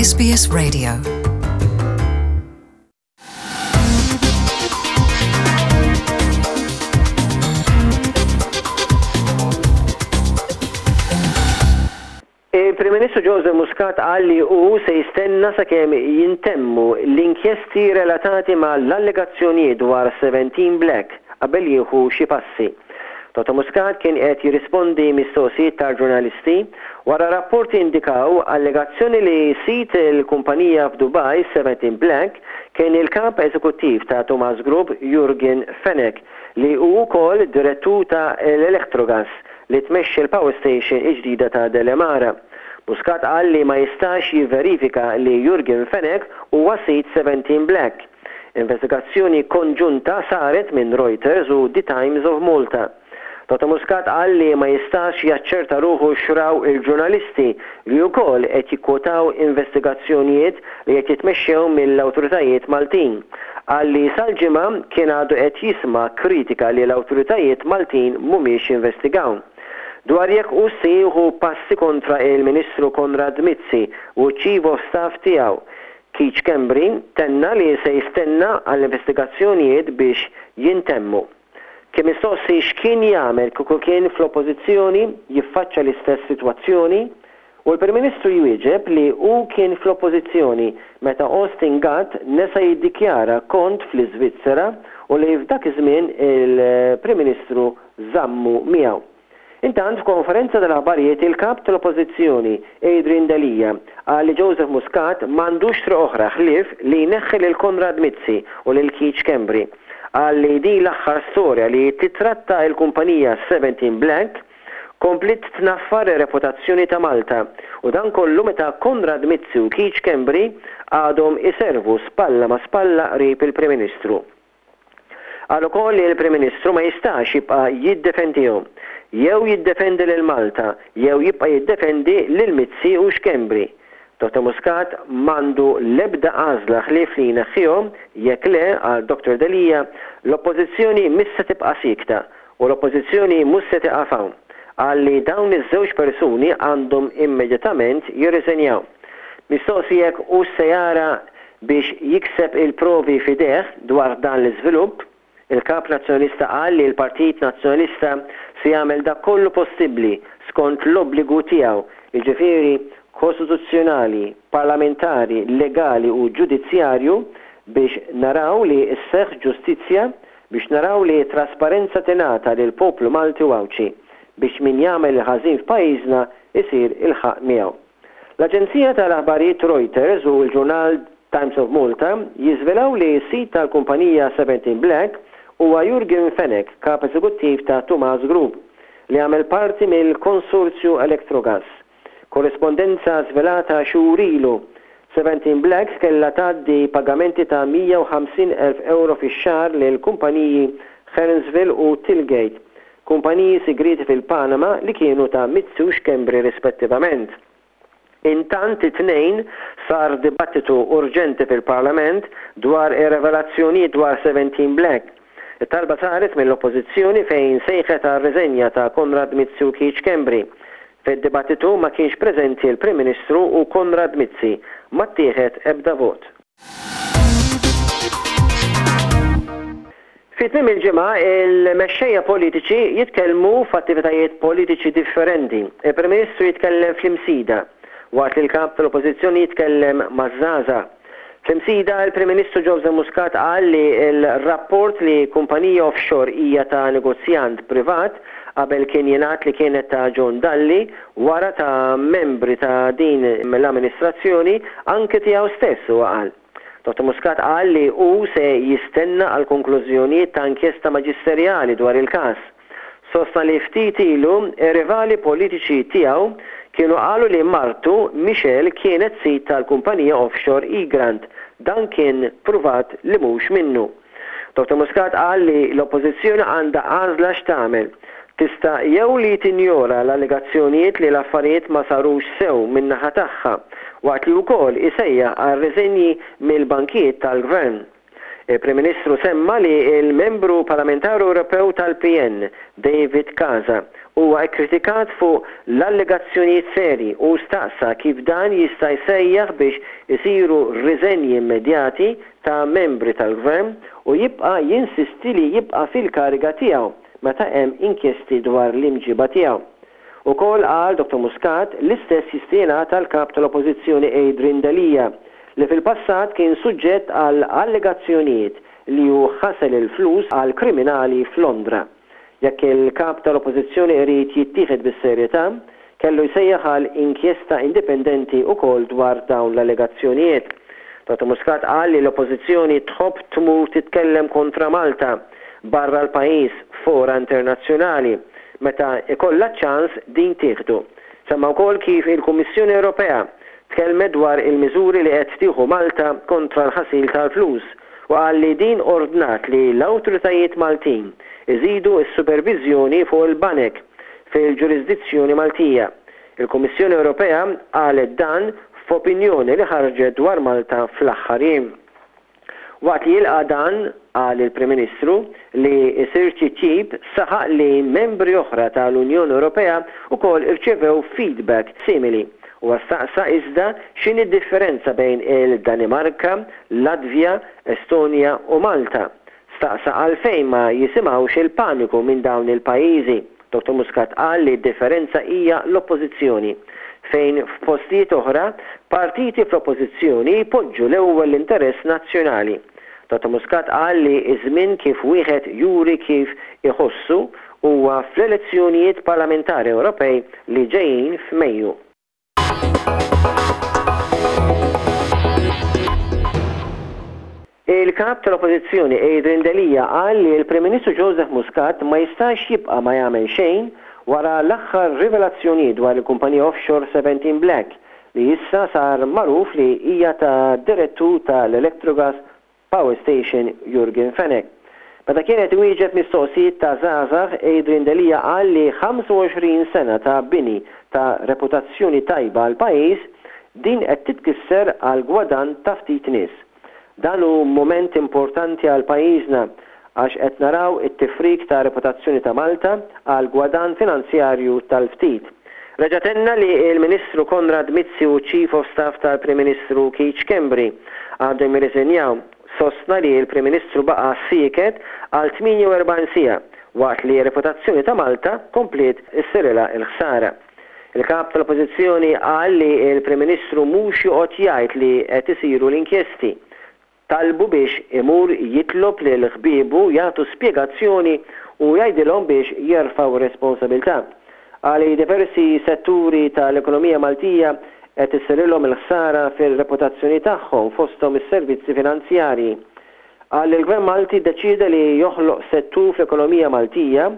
SBS Radio. Il-Prim Ministru Joseph Muscat qal li hu se jistenna sakemm jintemmu l-inkjesti relatati mal-allegazzjonijiet dwar 17 Black qabel jieħu xi passi. Dottor Muscat kien qed jirrispondi mistoqsijiet tal-ġurnalisti wara rapporti indikaw allegazzjoni li sid il-kumpanija f'Dubai 17 Black kien il-Kap Eżekuttiv ta' Tumas Group Yorgen Fenech li hu wkoll direttur ta' l-Electrogas li tmexxi l-power station il-ġdida ta' Delimara. Muscat qal li ma jistax jivverifika li Yorgen Fenech huwa sid 17 Black. Investigazzjoni konġunta saret minn Reuters u The Times of Malta. Dottor Muscat qal li ma jistax jaċċerta ruħu x'raw il-ġurnalisti li wkoll qed jikkwotaw investigazzjonijiet li qed jitmexxew mill-awtoritajiet Maltin. Qal li sal-Ġimgħa kien għadu qed jisma' kritika li l-awtoritajiet Maltin mhumiex jinvestigaw. Dwar jekk hux se jieħu passi kontra il-Ministru Konrad Mizzi u ċ-Chief of Staff tiegħu, Keith Schembri tenna li se jistenna għall-investigazzjonijiet biex jintemmu. Kien mistoqsi x'kien jagħmel kieku kien fl-Oppożizzjoni jiffaċċa l-istess sitwazzjoni u l-Prim Ministru jwieġeb li hu kien fl-Oppożizzjoni meta Austin Gatt nesa jiddikjara kont fl-Iżvizzera u li f'dak iż-żmien il-Prim Ministru żammu miegħu. Intant, f'konferenza tal-aħbarijiet il-Kap tal-Oppożizzjoni, Adrian Delia, qal li Joseph Muscat m'għandux triq oħra ħlief li jneħħi lil Konrad Mizzi u lil Keith Schembri. Qal li din l-aħħar storja li titratta l-kumpanija 17 Black kompliet tnaffar ir-reputazzjoni ta' Malta u dan kollu meta Konrad Mizzi u Keith Schembri għadhom iservu spalla ma' spalla qrib il-Prim Ministru. Qal ukoll li l-Prim Ministru ma jistax jibqa' jiddefendihom. Jew jiddefendi lil Malta, jew jibqa' jiddefendi lil Mizzi u Schembri. Dottor Muscat m'għandu l-ebda għażla ħlief li jneħħihom, jekk le, qal Dottor Delia, l-Oppożizzjoni mhix se tibqa' siekta u l-Oppożizzjoni mhux se tieqaf hawn. Qal li dawn iż-żewġ persuni għandhom immedjatament jirriżenjaw. Mistoqsi jekk hux se jara biex jikseb il-provi f'idejh dwar dan l-iżvilupp, il-Kap Nazzjonalista qal li l-Partit Nazzjonalista se jagħmel dak kollu possibbli skont l-obbligu tiegħu, jiġifieri kostituzzjonali, parlamentari, legali u ġudizzjarju biex naraw li sseħħ ġustizzja, biex naraw li t-trasparenza tingħata lill-poplu Malti u Għawdxi, biex min jagħmel il-ħażin f'pajjiżna jsir il-ħaqq miegħu. L-aġenzija tal-aħbarijiet Reuters u l-ġurnal Times of Malta jiżvelaw li s-sid tal-kumpanija 17 Black huwa Jurgen Fenech, Kap Eżekuttiv ta' Tumas Group, li jagħmel parti mill-konsorzju Electrogas. Korrispondenza żvelata xhur ilu, 17 Black kellha tgħaddi pagamenti ta' 150,000 ewro fix-xahar lill-kumpaniji Hernsville u Tillgate, Kumpaniji sigrieti fil-Panama li kienu ta' Mizzi u Schembri rispettivament. Intant it-Tnejn sar dibattitu urġenti fil-Parlament dwar ir-revelazzjonijiet dwar 17 Black. It-talba saret mill-Oppożizzjoni fejn sejħet għar-riżenja ta' Konrad Mizzi u Keith Schembri. Fid-dibattitu ma kienx preżenti l-Prim Ministru u Konrad Mizzi. Ma ttieħed ebda vot. Fi tmiem il-ġimgħa, il-mexxejja politiċi jitkellmu f'attivitajiet politiċi differenti. Il-Prim Ministru jitkellem fl-Imsida, waqt li l-Kap tal-Oppożizzjoni jitkellem maż-żgħażagħ. Fl-Imsida, il-Prim Ministru Joseph Muscat qal li l-rapport li kumpanija offshore hija ta' negozjant privat, qabel kien jingħad li kienet ta' John Dalli, wara ta' membri ta' din l-amministrazzjoni, anke tiegħu stess, huwa qal. Dottor Muscat qal li hu se jistenna għall-konklużjonijiet ta' inkjesta maġisterjali dwar il-każ. Sostna li ftit ilu r-rivali politiċi tiegħu kienu qalu li martu, Michelle kienet sid tal-kumpanija offshore Egrant. Dan kien pruvat li mhux minnu. Dottor Muscat qal li l-Oppożizzjoni għandha għażla x'tagħmel. Tista' jew li tinjora l-allegazzjonijiet li l-affarijiet ma sarux sew min-naħa tagħha, waqt li wkoll isejjaħ għal riżenji mill-bankijiet tal-Gvern. Il-Prim Ministru semma li l-Membru Parlamentari Ewropew tal-PN, David Casa, huwa kkritikat fuq l-allegazzjonijiet serji u staqsa kif dan jista' jsejjaħ biex isiru riżenji immedjati ta' membri tal-Gvern u jibqa' jinsisti li jibqa' fil-kariga tiegħu meta hemm inkjesti dwar l-imġiba tiegħu. Ukoll qal Dottor Muscat, l-istess jista' jingħad għall-Kap tal-Oppożizzjoni Adrian Delia, li fil-passat kien suġġett għal allegazzjonijiet li hu ħasel il-flus għal kriminali f'Londra. Jekk il-Kap tal-Oppożizzjoni irid jittieħed bis-serjetà, kellu jsejjaħ għal inkjesta indipendenti ukoll dwar dawn l-allegazzjonijiet. Dottor Muscat qal li l-Oppożizzjoni tħobb tmur titkellem kontra Malta barra l-pajjiż f'fora internazzjonali meta jkollha ċ-ċans din tieħdu. Semma wkoll kif il-Kummissjoni Ewropea tkellmet dwar il-miżuri li qed tieħu Malta kontra l-ħasil tal-flus u qal li din ordnat li l-awtoritajiet Maltin iżidu s-superviżjoni fuq il-banek fil-ġurisdizzjoni Maltija. Il-Kummissjoni Ewropea qalet dan f'opinjoni li ħarġet dwar Malta fl-aħħar jiem. Waqt li jilqa' dan, qal il-Prim Ministru, li jsir titjib, saħaq li membri oħra ta' l-Unjoni Ewropea wkoll irċevew feedback simili. Huwa staqsa iżda x'inhi d-differenza bejn il-Danimarka, Latvja, Estonja u Malta. Staqsa għalfejn ma jisimgħux il-paniku minn dawn il-pajjiżi. Dottor Muscat qal li d-differenza hija l-Oppożizzjoni, fejn f'postijiet oħra, partiti fl-Oppożizzjoni jpoġġu l-ewwel l-interess nazzjonali. Dottor Muscat qal li ż-żmien kif wieħed juri kif iħossu huwa fl-elezzjonijiet parlamentari Ewropej li ġejjin f'Mejju. Il-Kap tal-Oppożizzjoni Adrian Delia qal li l-Prim Ministru Joseph Muscat ma jistax jibqa' ma jagħmel xejn wara l-aħħar rivelazzjonijiet dwar il-kumpanija offshore Seventeen Black li issa sar magħruf li hija ta' direttur tal-Electrogas Power Station Jurgen Fenech. Meta kien qed iwieġeb mistoqsijiet ta' żgħażagħ, Adrian Delia qal li 25 sena ta' bini ta' reputazzjoni tajba għall-pajjiż, din qed titkisser għal gwadann ta' ftit nies. Dan hu mument importanti għal pajjiżna għax qed naraw it-tifrik ta' reputazzjoni ta' Malta għal gwadann finanzjarju tal-ftit. Reġa' tenna li l-Ministru Konrad Mizzi u ċ-Chief of Staff tal-Prim Ministru Keith Schembri għandhom jirriżenjaw. Sostna li l-Prim Ministru baqa' sieket għal 48 siegħa waqt li r-reputazzjoni ta' Malta kompliet issirilha l-ħsara. Il-Kap tal-Oppożizzjoni qal li l-Prim Ministru mhux joqgħod jgħid li qed isiru l-inkjesti. Talbu biex imur jitlob lil ħbiebu jagħtu spjegazzjoni u jgħidilhom biex jerfgħu r-responsabilità. Qal li diversi setturi tal-ekonomija Maltija qed issirilhom il-ħsara fir-reputazzjoni tagħhom fosthom is-servizzi finanzjarji. Qal li l-Gvern Malti ddeċieda li joħloq settur fl-ekonomija Maltija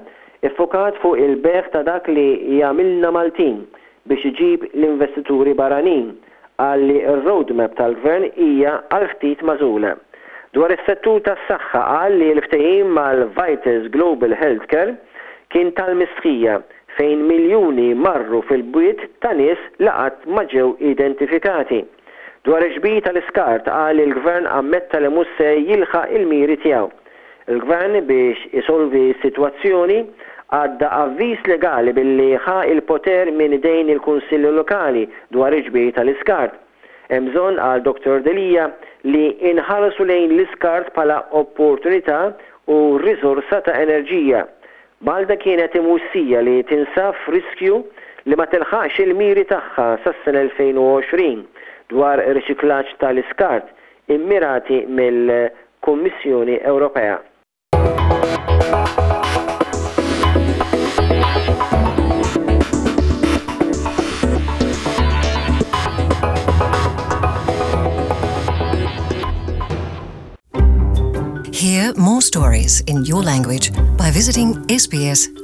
ffokat fuq il-bejgħ ta' dak li jagħmilna Maltin biex iġib l-investituri barranin. Qal li r-roadmap tal-Gvern hija għal ftit magħżula. Dwar is-settur tas-saħħa qal li l-ftehim mal-Vitals Global Healthcare kien tal-mistħija fejn miljuni marru fil-bwiet ta' nies li qatt ma ġew identifikati. Dwar il-ġbir tal-iskart qal li l-Gvern ammetta li mhux se jilħaq il-miri tiegħu. Il-Gvern biex isolvi s-sitwazzjoni għadda avviż legali billi ħa l-poter minn idejn il-Kunsilli Lokali dwar il-ġbir tal-iskart. Hemm bżonn, qal Dottor Delia, li inħarsu lejn l-iskart bħala opportunità u riżorsa ta' enerġija. Malta kienet imwissija li tinsab f'riskju li ma tilħaqx il-miri tagħha sas-sena 2020 dwar riċiklaġġ tal-iskart immirati mill-Kummissjoni Ewropea. Hear more stories in your language by visiting sbs.com.au.